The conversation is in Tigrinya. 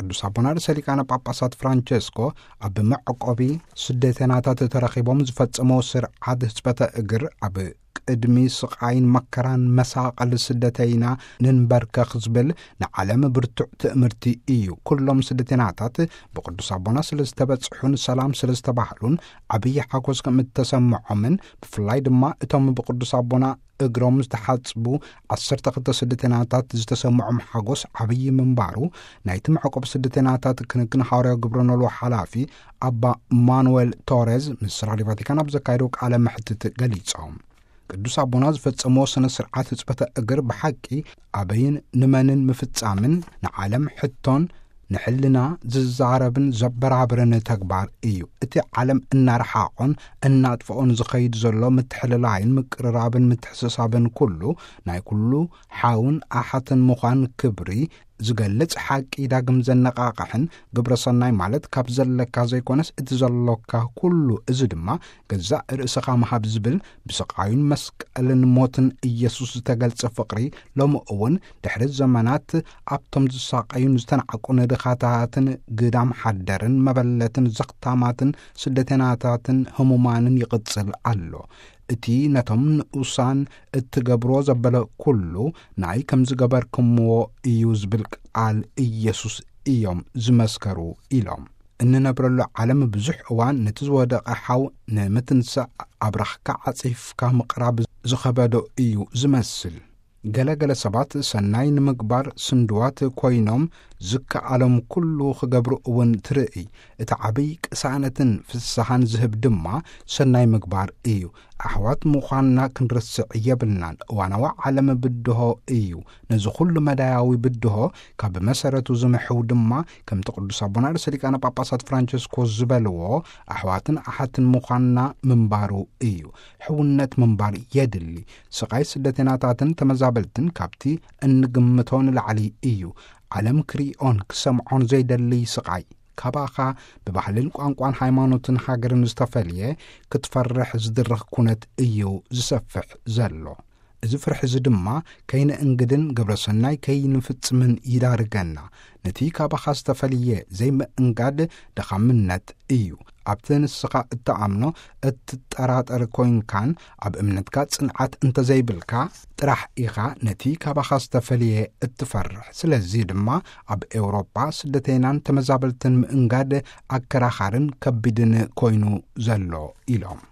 ቅዱስ ኣቦና ርእሰ ሊቃነ ጳጳሳት ፍራንቸስኮ ኣብ መዕቆቢ ስደተናታት ተረኺቦም ዝፈጸመዎ ስርዓት ህጽበተ እግር ኣብ ቅድሚ ስቓይን መከራን መሳቐል ስደተይና ንንበርከኽ ዝብል ንዓለም ብርቱዕ ትእምርቲ እዩ። ኩሎም ስደተናታት ብቅዱስ ኣቦና ስለ ዝተበጽሑን ሰላም ስለ ዝተባህሉን ዓብዪ ሓጎስ ከም እተሰምዖምን ብፍላይ ድማ እቶም ብቅዱስ ኣቦና እግሮም ዝተሓጽቡ ዓሰርተ ክልተ ስደተናታት ዝተሰምዖም ሓጎስ ዓብዪ ምንባሩ ናይቲ መዕቆብ ስደተናታት ክንክን ሃዋርያዊ ግብረ ኖልዎ ሓላፊ ኣባ ማኑዌል ቶሬዝ ምስ ራድዮ ቫቲካን ኣብ ዘካየደው ቃለ መሕትት ገሊጾም። ቅዱስ ኣቦና ዝፈጸምዎ ስነ ስርዓት ህጽበተ እግር ብሓቂ ኣበይን ንመንን ምፍጻምን ንዓለም ሕቶን ንሕልና ዝዛረብን ዘበራብርን ተግባር እዩ። እቲ ዓለም እናረሓቖን እናጥፍኦን ዝኸይድ ዘሎ ምትሕልላይን ምቅርራብን ምትሕስሳብን ኩሉ ናይ ኩሉ ሓውን ኣሓትን ምዃን ክብሪ ዝገልጽ ሓቂ ዳግም ዘነቓቕሕን ግብረ ሰናይ ማለት ካብ ዘለካ ዘይኮነስ እቲ ዘሎካ ኩሉ፣ እዚ ድማ ገዛእ ርእስኻ ምሃብ ዝብል ብስቓዩን መስቀልን ሞትን ኢየሱስ ዝተገልጸ ፍቕሪ ሎሚ እውን ድሕሪ ዘመናት ኣብቶም ዝሳቐዩን ዝተናዕቁን ድኻታትን ግዳም ሓደርን መበለትን ዘኽታማትን ስደተናታትን ህሙማንን ይቕጽል ኣሎ። እቲ ነቶም ንኡሳን እትገብርዎ ዘበለ ኩሉ ናይ ከም ዝገበርክምዎ እዩ ዝብል ቃል ኢየሱስ እዮም ዝመስከሩ ኢሎም። እንነብረሉ ዓለም ብዙሕ እዋን ነቲ ዝወደቐ ሓው ንምትንሳእ ኣብራኽካ ዓጺፍካ ምቕራብ ዝኸበዶ እዩ ዝመስል። ገለ ገለ ሰባት ሰናይ ንምግባር ስንድዋት ኮይኖም ዝከኣሎም ኩሉ ክገብሩ እውን ትርእይ። እቲ ዓብይ ቅሳነትን ፍስሃን ዝህብ ድማ ሰናይ ምግባር እዩ። ኣሕዋት ምዃንና ክንርስዕ የብልናን። እዋናዊ ዓለም ብድሆ እዩ። ነዚ ኩሉ መዳያዊ ብድሆ ካብ መሰረቱ ዝምሕው ድማ ከምቲ ቅዱስ ኣቦና ርእሰ ሊቃነ ጳጳሳት ፍራንቸስኮ ዝበልዎ ኣሕዋትን ኣሓትን ምዃንና ምንባሩ እዩ። ሕውነት ምንባር የድሊ። ስቓይ ስደተናታትን ተመዛበልትን ካብቲ እንግምቶ ንላዕሊ እዩ። ዓለም ክሪኦን ክሰምዖን ዘይደሊ ስቓይ ካባኻ ብባህልን ቋንቋን ሃይማኖትን ሃገርን ዝተፈልየ ክትፈርሕ ዝድርኽ ኩነት እዩ ዝሰፍሕ ዘሎ። እዚ ፍርሒ እዚ ድማ ከይንእንግድን ግብረ ሰናይ ከይንፍጽምን ይዳርገና። ነቲ ካባኻ ዝተፈልየ ዘይምእንጋድ ደኻምነት እዩ። ኣብቲ ንስኻ እትኣምኖ እትጠራጠር ኮይንካን ኣብ እምነትካ ጽንዓት እንተዘይብልካ ጥራሕ ኢኻ ነቲ ካባኻ ዝተፈልየ እትፈርሕ። ስለዚ ድማ ኣብ ኤውሮጳ ስደተይናን ተመዛበልትን ምእንጋድ ኣከራኻርን ከቢድን ኮይኑ ዘሎ ኢሎም።